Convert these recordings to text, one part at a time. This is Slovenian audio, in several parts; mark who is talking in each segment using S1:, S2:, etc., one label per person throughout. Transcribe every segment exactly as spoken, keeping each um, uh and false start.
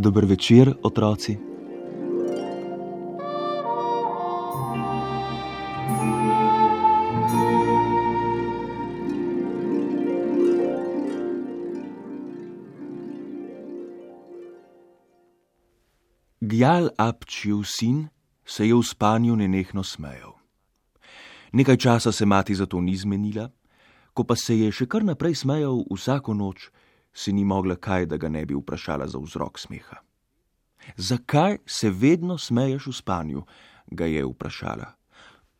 S1: Dober večer, otroci. Gjal Apčijev sin se je v spanju nenehno smejal. Nekaj časa se mati zato ni zmenila, ko pa se je še kar naprej smejal vsako noč, si ni mogla kaj, da ga ne bi vprašala za vzrok smeha. Zakaj se vedno smeješ v spanju, ga je vprašala.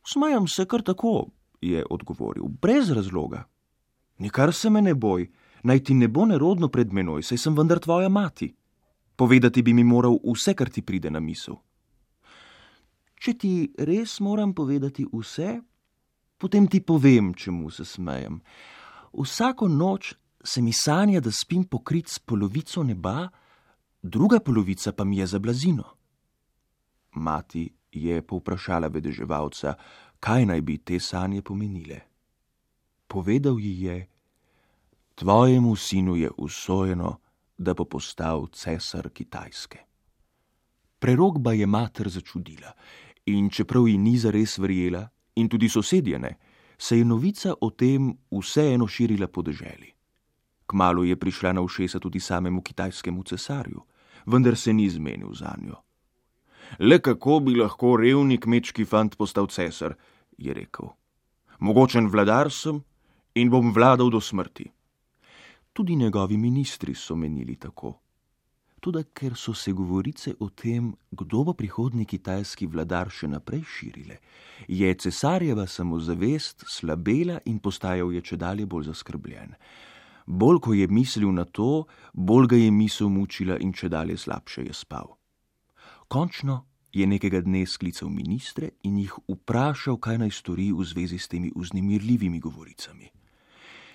S1: Smejam se kar tako, je odgovoril, brez razloga. Nikar se me ne boj, naj ti ne bo nerodno pred menoj, saj sem vendar tvoja mati. Povedati bi mi moral vse, kar ti pride na misel. Če ti res moram povedati vse, potem ti povem, čemu se smejem. Vsako noč se mi sanja, da spim pokrit s polovico neba, druga polovica pa mi je za blazino. Mati je povprašala vedeževalca, kaj naj bi te sanje pomenile. Povedal ji je, tvojemu sinu je usojeno, da bo postal cesar Kitajske. Prerokba je mater začudila in čeprav ji ni zares verjela in tudi sosedje ne, se je novica o tem vseeno širila po deželi. Kmalu je prišla na ušesa tudi samemu kitajskemu cesarju, vendar se ni zmenil zanjo. Le kako bi lahko revni kmečki fant postal cesar, je rekel. Mogočen vladar sem in bom vladal do smrti. Tudi njegovi ministri so menili tako. Toda ker so se govorice o tem, kdo bo prihodnji kitajski vladar še naprej širile, je cesarjeva samozavest slabela in postajal je čedalje bolj zaskrbljen. Bolj, ko je mislil na to, bolj ga je misel mučila in čedalje slabše je spal. Končno je nekega dne sklical ministre in jih vprašal, kaj naj stori v zvezi s temi vznemirljivimi govoricami.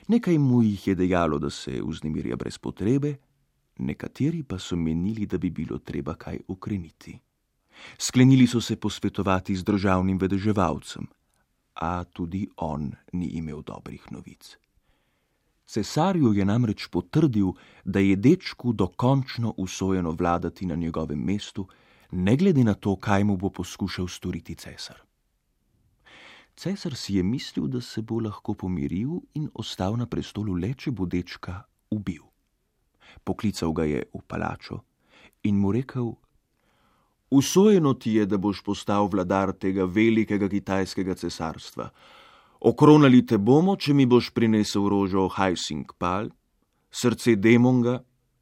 S1: Nekaj mu jih je dejalo, da se vznemirja brez potrebe, nekateri pa so menili, da bi bilo treba kaj ukreniti. Sklenili so se posvetovati z državnim vedeževalcem, a tudi on ni imel dobrih novic. Cesarju je namreč potrdil, da je dečku dokončno usojeno vladati na njegovem mestu, ne glede na to, kaj mu bo poskušal storiti cesar. Cesar si je mislil, da se bo lahko pomiril in ostal na prestolu le, če bo dečka ubil. Poklical ga je v palačo in mu rekel, usojeno ti je, da boš postal vladar tega velikega kitajskega cesarstva. Okronali te bomo, če mi boš prinesel rožo Hajsing Pal, srce Demonga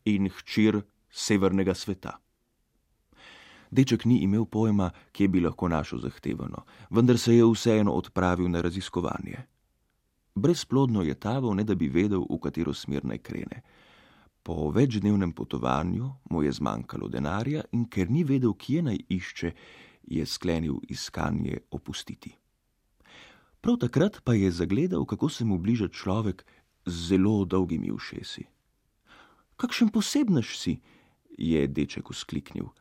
S1: in hčir severnega sveta. Deček ni imel pojma, kje bi lahko našel zahtevano, vendar se je vseeno odpravil na raziskovanje. Brezplodno je taval, ne da bi vedel, v katero smer naj krene. Po večdnevnem potovanju mu je zmanjkalo denarja in ker ni vedel, kje naj išče, je sklenil iskanje opustiti. Prav takrat pa je zagledal, kako se mu bliža človek z zelo dolgimi ušesi. Kakšen posebnež si, je deček vzkliknil.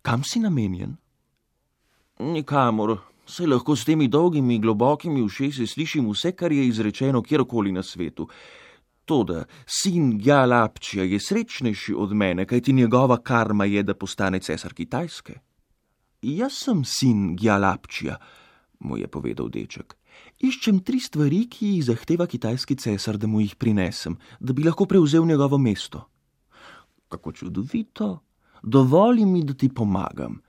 S1: Kam si namenjen? Nikamor, saj lahko s temi dolgimi, globokimi ušesi slišim vse, kar je izrečeno kjerkoli na svetu. Toda sin Gjal Apčija je srečnejši od mene, kajti njegova karma je, da postane cesar Kitajske. Jaz sem sin Gjal Apčija, mu je povedal deček. Iščem tri stvari, ki jih zahteva kitajski cesar, da mu jih prinesem, da bi lahko prevzel njegovo mesto. Kako čudovito, dovoli mi, da ti pomagam,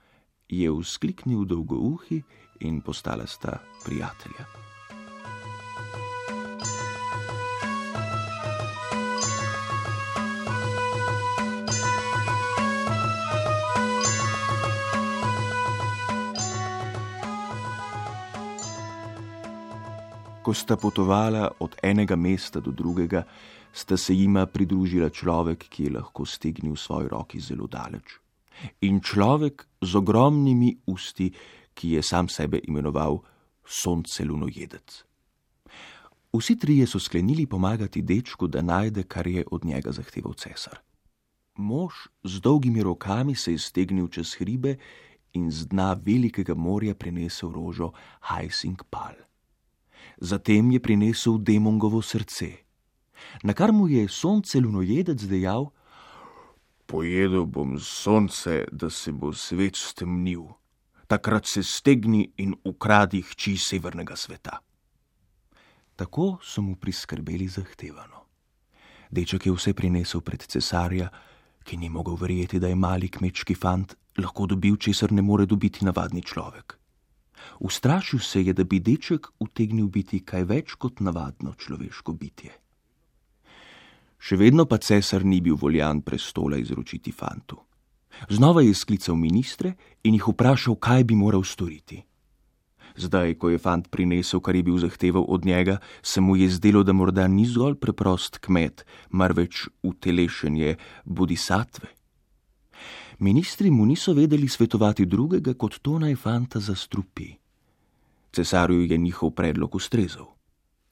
S1: je vzkliknil dolgouhi in postala sta prijatelja. Ko sta potovala od enega mesta do drugega, sta se jima pridružila človek, ki je lahko stegnil v svoji roki zelo daleč. in človek z ogromnimi usti, ki je sam sebe imenoval sonce lunojedec. Vsi trije so sklenili pomagati dečku, da najde, kar je od njega zahteval cesar. Mož z dolgimi rokami se je stegnil čez hribe in z dna velikega morja prinesel rožo Hajsink Pal. Zatem je prinesel demongovo srce, na kar mu je sonce lunojedec dejal: pojedel bom sonce, da se bo svet stemnil. Takrat se stegni in ukradi hči severnega sveta. Tako so mu priskrbeli zahtevano. Deček je vse prinesel pred cesarja, ki ni mogel verjeti, da je mali kmečki fant lahko dobil, česar ne more dobiti navadni človek. Ustrašil se je, da bi deček utegnil biti kaj več kot navadno človeško bitje. Še vedno pa cesar ni bil voljan prestola izročiti fantu. Znova je sklical ministre in jih vprašal, kaj bi moral storiti. Zdaj, ko je fant prinesel, kar je bil zahteval od njega, se mu je zdelo, da morda ni zgolj preprost kmet, marveč utelešenje bodhisatve. Ministri mu niso vedeli svetovati drugega, kot to naj fanta zastrupi. Cesarju je njihov predlog ustrezal.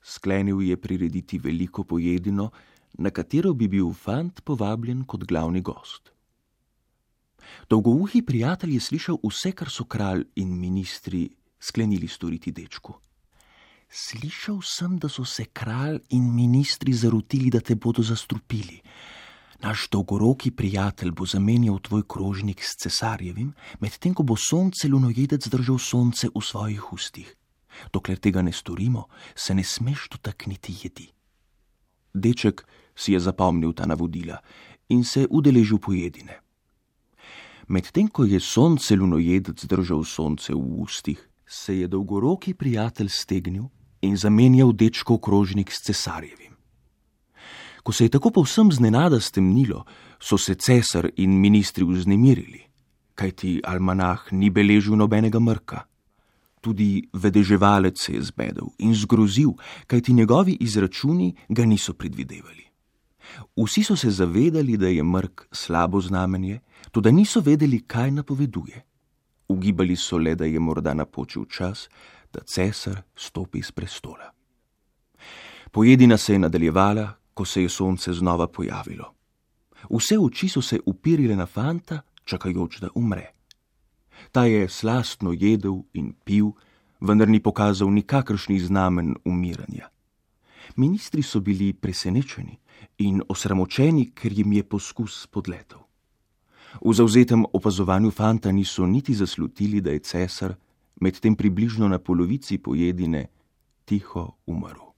S1: Sklenil je prirediti veliko pojedino, na katero bi bil fant povabljen kot glavni gost. Dolgouhi prijatelj je slišal vse, kar so kralj in ministri sklenili storiti dečku. Slišal sem, da so se kralj in ministri zarotili, da te bodo zastrupili. Naš dolgoroki prijatelj bo zamenjal tvoj krožnik s cesarjevim, medtem ko bo sonce lunojedec držal sonce v svojih ustih. Dokler tega ne storimo, se ne smeš dotakniti jedi. Deček si je zapomnil ta navodila in se udeležil pojedine. Medtem ko je sonce lunojedec držal sonce v ustih, se je dolgoroki prijatelj stegnil in zamenjal dečkov krožnik s cesarjevim. Ko se je tako povsem znenada stemnilo, so se cesar in ministri vznemirili, kajti almanah ni beležil nobenega mrka. Tudi vedeževalec se je zbedel in zgrozil, kajti njegovi izračuni ga niso predvidevali. Vsi so se zavedali, da je mrk slabo znamenje, toda niso vedeli, kaj napoveduje. Ugibali so le, da je morda napočil čas, da cesar stopi s prestola. Pojedina se je nadaljevala, ko se je sonce znova pojavilo. Vse oči so se upirile na fanta, čakajoč, da umre. Ta je slastno jedel in pil, vendar ni pokazal nikakršnih znamen umiranja. Ministri so bili presenečeni in osramočeni, ker jim je poskus spodletel. V zavzetem opazovanju fanta niso niti zaslutili, da je cesar, medtem približno na polovici pojedine, tiho umrl.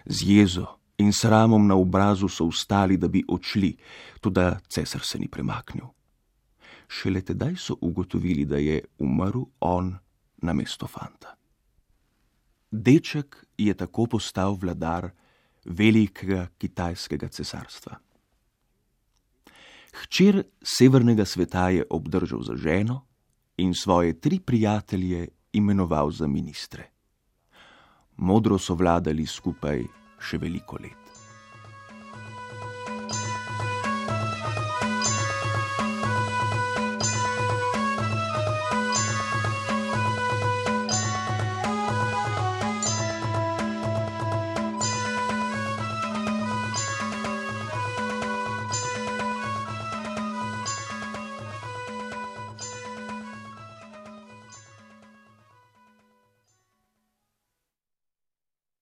S1: Z jezo in sramom na obrazu so vstali, da bi odšli, toda cesar se ni premaknil. Šele tedaj so ugotovili, da je umrl on namesto fanta. Deček je tako postal vladar velikega kitajskega cesarstva. Hčer severnega sveta je obdržal za ženo in svoje tri prijatelje imenoval za ministre. Modro so vladali skupaj še veliko let.